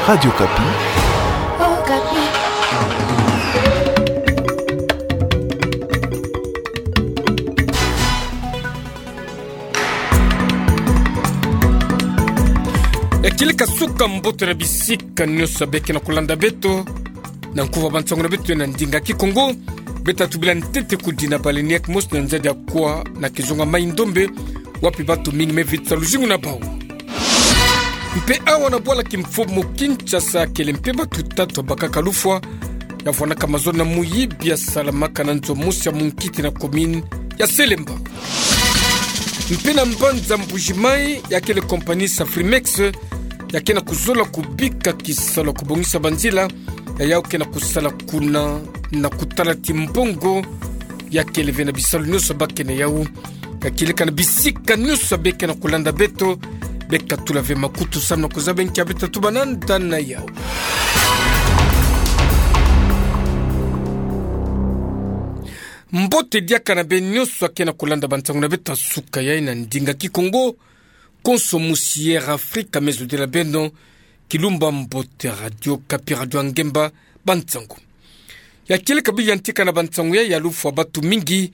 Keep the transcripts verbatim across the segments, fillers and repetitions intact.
Radio Okapi. Okapi. Ya kieleka suka mbote na bisika nyonso beke na kulanda beto. Na nkufi ya bansangu na beto na ndinga Kikongo, beta tubila ntete kudina baleinière mosi na nzadi ya kwa na kizunga Mai-Ndombe, wapi bantu mingi me vita luzingu na bau. Mpe awa na bwala kimfumu Kinshasa, kele mpe bantu tatu ya bakaka lufwa, ya vwandaka mazono na muyibi ya salamaka na nzo mosi ya munkiti na commune ya Selembao. Mpe na mbanza Mbuji-Mayi, ya kele compagnie Safrimex, ya ke na kuzola kubika kisalu ya kubongisa banzila, ya yawu ke na kusala kuna, na kutala ti mbongo ya kele ve na bisalu nyonso bake na yawu. Ya kieleka na bisika nyonso beke na kulanda beto, beka tula ve makutu samu na kuzaba nki ya beta tubananga na yawu. Mbote diaka na beno nyonso ake na kulanda bansangu na beto ya suka yayi na ndinga Kikongo. Konso musi Air Afrika me zodila beno, Kilumba Mbote, Radio Okapi, radio ya ngemba, bansangu. Ya kieleka bilu ya ntika na bansangu yayi, ya lufwa bantu mingi,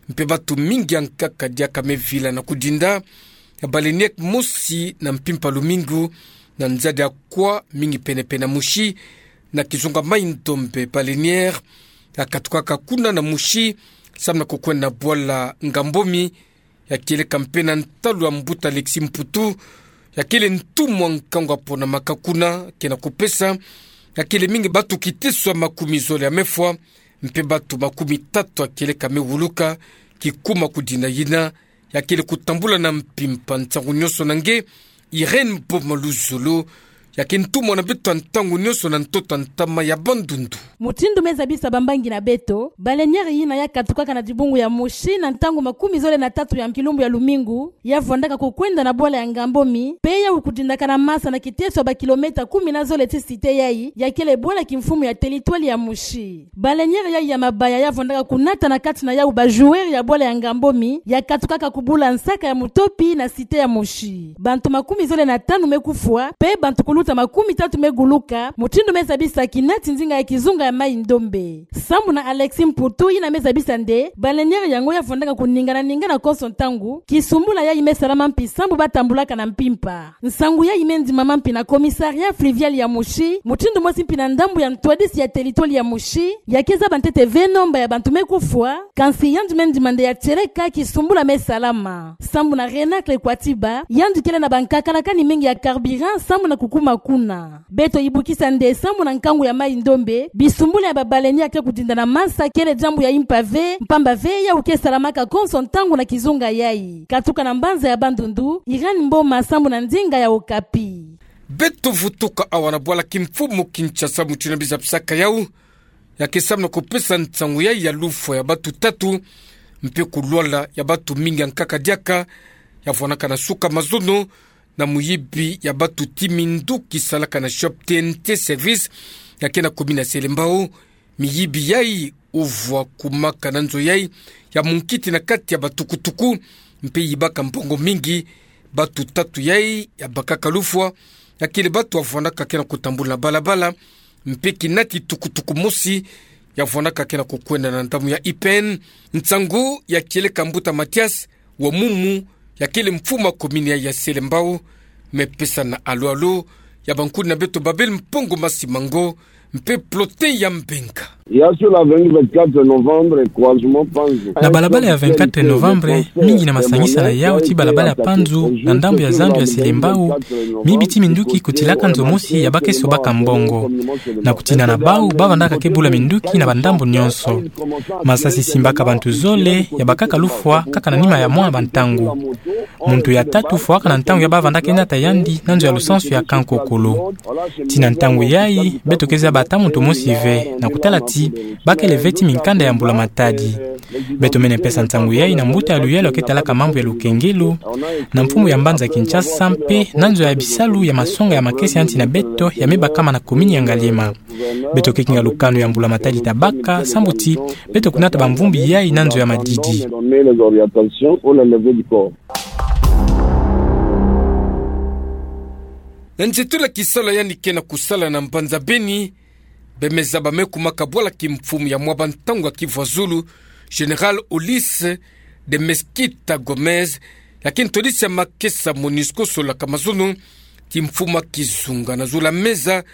mpe bantu mingi ya nkaka diaka me vila na kudinda ya baleinière mosi na mpimpa lumingu, na nzadi ya kwa mingi pene-pene na Mouchy, na kizunga Mai-Ndombe. Baleinière ya katukaka kuna na Mouchy, samu na kukwenda na bwala Ngambomi, ya kieleka mpe na ntalu ya mbuta Alexis Mputu, ya kele ntumwa nkangu ya ponamaka kuna, ke na kupesa ya kele mingi bantu kiteso ya makumi zole ya mefwa, mpe bantu makumi tatu ya kieleka me wuluka, kikuma kudina yina ya kele kutambula na mpimpa. Nsangu nyonso na nge, Irène Boma Luzolo, ya ke ntumwa na beto ya ntangu nyonso na ntoto ya ntama ya Bandundu. Mutindu me zabisa bambangi na beto, baleinière yina ya katukaka na dibungu ya Mouchy na ntangu makumi zole na tatu ya kilumbu ya lumingu, ya vwandaka kukwenda na bwala ya Ngambomi, mpe yawu kudindaka na masa na kiteso ya bakilomètre kumi na zole ti cité yayi, ya kele bwala kimfumu ya territoire ya Mouchy. Baleinière yayi ya mabaya ya vwandaka kunata na kati na yawu ba joueurs ya bwala ya Ngambomi, ya katukaka kubula nsaka ya mutopi na cité ya Mouchy. Bantu makumi zole na tanu me kufwa, mpe bantu kuluta makumi tatu me guluka, mutindu me zabisa kinati nzinga ya kizunga ya Mai-Ndombe. Sambu na Alexis Mputu, yina me zabisa nde baleinière yango ya vwandaka kuningana-ningana konso ntangu, kisumbula yayi me salama mpi sambu ba tambulaka na mpimpa. Nsangu yayi me ndimama mpi na commissariat fluvial ya Mouchy, mutindu mosi mpi na ndambu ya ntwadisi ya territoire ya Mouchy, ya ke zaba ntete ve nomba ya bantu me kufwa, kansi yandi me ndima nde ya tieleka kisumbula me salama. Sambu na Renacle Kwatiba, yandi kele na bankakalakani mingi ya carburant sambu na kukuma kuna. Beto yibukisa nde sambu na nkangu ya Mai-Ndombe, bisumbula ya babaleinière ya ke kudinda na masa kele diambu ya impa ve, mpamba ve yawu ke salamaka konso ntangu na kizunga yayi. Katuka na mbanza ya Bandundu, Irène Mboma sambu na ndinga ya Okapi. Beto vutuka awa na bwala kimfumu Kinshasa, mutindu na bizapisaka yawu, ya ke sambu na kupesa nsangu yayi ya lufwa ya bantu tatu, mpe kulwala ya bantu mingi ya nkaka diaka, ya vwanaka na suka mazono, na muyibi ya bantu ti minduki salaka na shop T N T Service, ya ke na commune ya Selembao. Miyibi yayi uvwa kumaka na nzo yayi ya munkiti na kati ya batukutuku, mpe yibaka mbongo mingi. Bantu tatu yayi ya bakaka lufwa, ya kele bantu ya vwanaka ke na kutambula na balabala, mpe kinati tukutuku mosi ya vwanaka ke na kukwenda na ndambu ya I P N. Nsangu ya kieleka mbuta Mathias Wamumu, ya kele mfumu ya commune ya, ya Selembao, me pesa na alu-alu ya bankuni na beto Babel Mpongo Masimango, mpe Plotin ya Mbenga. Ya sur la avenue vingt-quatre novembre, croisement Panzu. Na balabala ya vingt-quatre novembre, mingi na masangisana yawu ti balabala ya Panzu, na ndambu ya zandu ya Selembao, miyibi ti minduki kutilaka nzo mosi ya bakesa baka mbongo. Na kutina na bawu, ba vandaka ke bula minduki na bandambu nyonso. Masasi simbaka bantu zole, ya bakaka lufwa, kaka na nima ya mwa bantangu. Muntu ya tatu fwaka na ntangu ya ba vandaka ke nata yandi na nzo ya lusansu ya Kankokolo. Ti na ntangu yayi, beto ke zaba ata muntu mosi ve, na kutala ti ba kele ve ti minkanda ya mbula matadi. Beto mene pesa nsangu yayi na mbuta ya luyalu ya ke talaka mambu ya lukengelo, na mfumu ya mbanza Kinshasa mpe na nzo ya bisalu ya masonga ya makesa ya nsi na beto ya me bakama na commune ya Ngaliema. Beto ke kinga lukanu ya mbula matadi ta baka, sambu ti beto kunata bamvumbi yayi na nzo ya madidi. Na nzietolo ya kisalu yandi ke na kusala na mbanza Beni, bemezaba me kumaka bwala kimfumu ya mwaba ntangu ya Kivu Azulu, Général Ulysse de Mesquita Gómez, ya ke ntwadisi ya makesa MONUSCO, solaka mazono kimfumu ya kizunga na zolo ya meza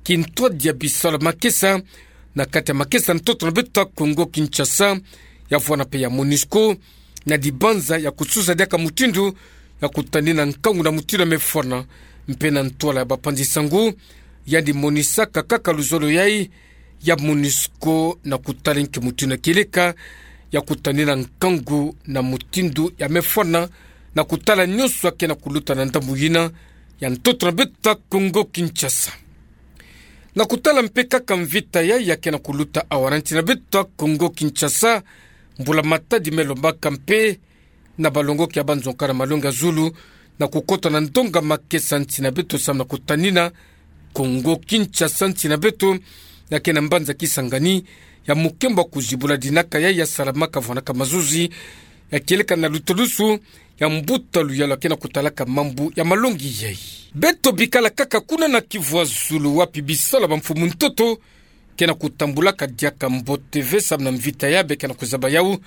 kintwadi ya bisalu ya makesa na kati ya makesa ntoto na beto ya Kongo Kinshasa, ya vwanda mpe ya MONUSCO, na dibanza ya kususa diaka mutindu ya kutanina nkangu na mutindu ya mefwana, mpe na ntwala ya bapanzi nsangu, yandi monisaka kaka luzolo yai ya MONUSCO na kutala nki mutindu ya kieleka ya kutanina nkangu na mutindu ya mefwana, na kutala nyonso ya ke na kuluta na ndambu yina ya ntoto na beto ya Kongo Kinshasa. Na kutala mpe kaka mvita yai ya ke na kuluta awa na nsi na beto ya Kongo Kinshasa, mbula-matadi me lombaka mpe na balongoki ya banzonga na malongi ya zulu, na kukota na ndonga makesa nsi na beto samu na kutanina Kongo Kinshasa, nsi na beto ya ke na mbanza Kisangani, ya mukembo ya kuzibula dinaka yai ya salamaka vwanaka mazuzi, ya kieleka na lutalusu ya mbuta luyalu ya ke na kutalaka mambu ya malongi yai. Beto bikala kaka kuna na Kivu Azulu, wapi bisalu ya bamfumu ntoto ke na kutambulaka diaka mbote ve samu na mvita yai be ke na kuzaba yau,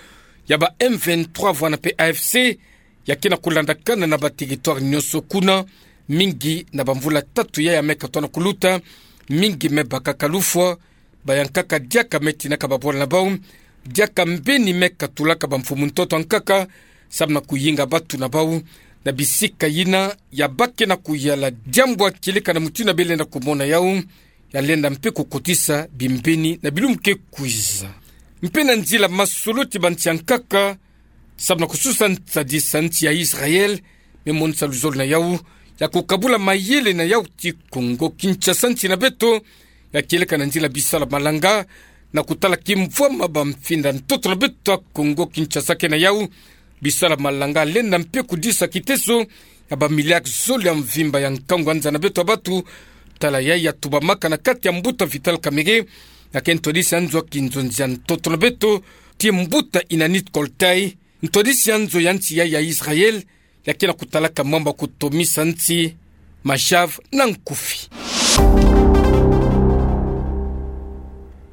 ya ba M vingt-trois vwanda mpe A F C, ya ke na kulandakana na bateritware nyonso kuna, mingi na bamvula tatu yai ya me katuka na kuluta, mingi me bakaka lufwa, bayankaka diaka me tinaka babwala na bau, diaka mbeni me katulaka bamfumu ntoto ya nkaka, samu na kuyinga batu na bau, na bisika yina ya ba ke na kuyala. Diambu ya kieleka na mutindu ya belenda kumona yau, ya lenda mpe kukotisa bimbeni na bilumbu ke kwiza. Mpe na nzila masolo ti bansi ya nkaka, samu na kususa nsadisa nsi ya Israël, me monisa luzolo na yau ya kukabula mayele na yau ti Kongo Kinshasa, nsi na beto, ya kieleka na nzila bisalu ya malanga, na kutala kimvwama bamfinda ntoto na beto ya Kongo Kinshasa ke na yau, bisalu ya malanga lenda mpe kudisa kiteso ya bamiliare zole ya mvimba ya nkangu ya nza na beto ya batu, tala yai ya tubamaka na kati ya mbuta Vital Kamerhe, ya ke ntwadisi ya nzo ya kinzonzi ya ntoto na beto, ti mbuta Inanit Koltay, ntwadisi ya nzo ya nsi yai ya Israël, ya ke na kutalaka mambu ya kutomisa nsi, Machav na nkufi.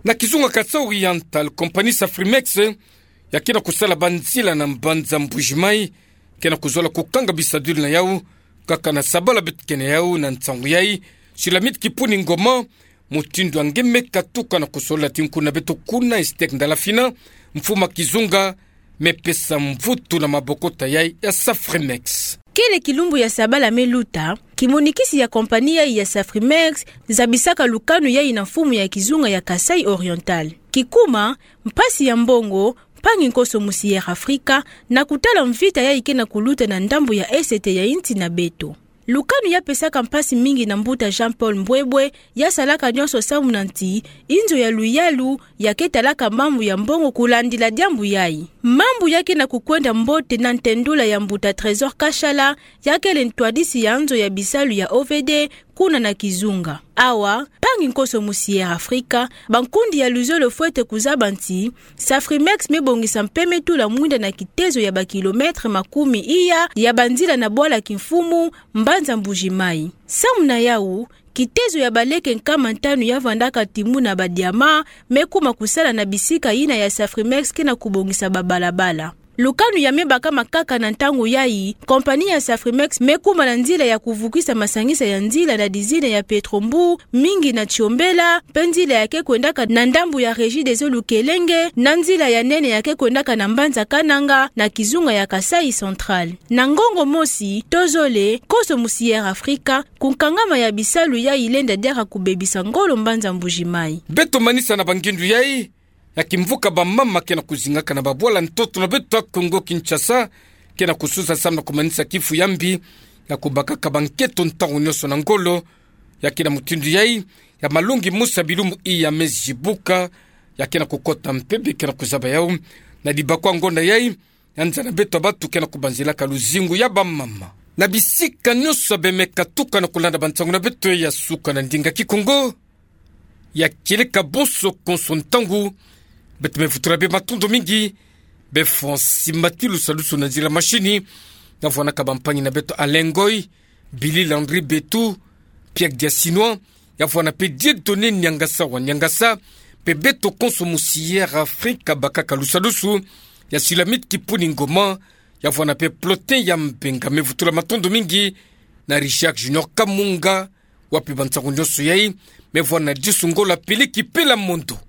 Na kizunga Kasaï Oriental, kompani Safrimex ya ke na kusala banzila na mbanza Mbuji-Mayi, ke na kuzola kukanga bisadulu na yau, kaka na sabala beto ke na yau na nsangu yai, Shulamit Kipuni Ngoma, mutindu ya nge me katuka na kusolola ti nkuna beto kuna, Estek Ndalafina, mfumu ya kizunga, me pesa mvutu na mabokota yai ya Safrimex. Kele kilumbu ya sabala me luta, kimonikisi ya kompani yai ya Safrimex zabisaka lukanu yai na mfumu ya kizunga ya Kasaï Oriental. Kikuma, mpasi ya mbongo, mpangi nkoso musi Air Africa, na kutala mvita yai ke na kuluta na ndambu ya est ya nsi na beto. Lukanu ya pesaka mpasi mingi na mbuta Jean-Paul Mbwebwe, ya salaka nyonso samu na nti, inzo ya luyalu, ya ke talaka mambu ya mbongo kulandila diambu yai. Mambu ya ke na kukwenda mbote na ntendula ya mbuta Trésor Kashala, ya kele ntwadisi ya nzo ya bisalu ya O V D, kuna na kizunga. Awa, mpangi nkoso musi Air Africa, bankundi ya luzolo fwete kuzaba nti, Safrimex me bongisa mpe me tula mwinda na kitezo ya bakilometre makumi iya ya banzila na bwala kimfumu, mbanza Mbuji-Mayi. Samu na yau, kitezo ya baleke nkama ntanu ya vandaka timu na badiama, me kuma kusala na bisika yina ya Safrimex ke na kubongisa babalabala. Lukanu ya me bakama kaka na ntangu yai, kompani ya Safrimex me kuma na nzila ya kuvukisa masangisa ya nzila na dizina ya Petro-Mbu, mingi na Tsiombela, mpe nzila ya ke kwendaka na ndambu ya Regideso Lukelenge, na nzila ya nene ya ke kwendaka na mbanza Kananga, na kizunga ya Kasaï Central. Na ngongo mosi, tozole, nkoso musi Air Africa, kunkangama ya bisalu yai lenda diaka kubebisa ngolo mbanza Mbuji-Mayi. Beto manisa na bangindu yai, ya kimvuka bamama ke na kuzingaka na babwala ntoto na beto ya Kongo Kinshasa, ke na kususa samu na kumanisa kifu ya mbi, ya kubakaka banketo ntangu nyonso na ngolo, ya ke na mutindu yai, ya malongi mosi ya bilumbu iya me zibuka, ya ke na kukota mpe be ke na kuzaba yau, na dibakwa ngonda yai, ya nza na beto ya batu ke na kubanzilaka luzingu ya bamama. Na bisika nyonso be me katuka na kulanda bansangu na beto ya suka na ndinga Kikongo, ya kieleka bonso konso ntangu, beto me vutula be matondo mingi, be Francis Matilu salusu na nzila mashini, na vwanaka bampangi na beto Alain Ngoy, Billy Landry Betu, Pierre Diasinoa, ya vwanape Dieudonné Niangasa wa Niangasa, mpe beto konso mosiyere Afrika bakaka lusadusu, ya Silamit Kipuni Ngoma, ya vwanape Plotin Yambenga. Mevutula matondo mingi na Richard Junior Kamunga, wa mpe bansangu nyonso yai, me vwana Diosungola Peleki Pela Mondo.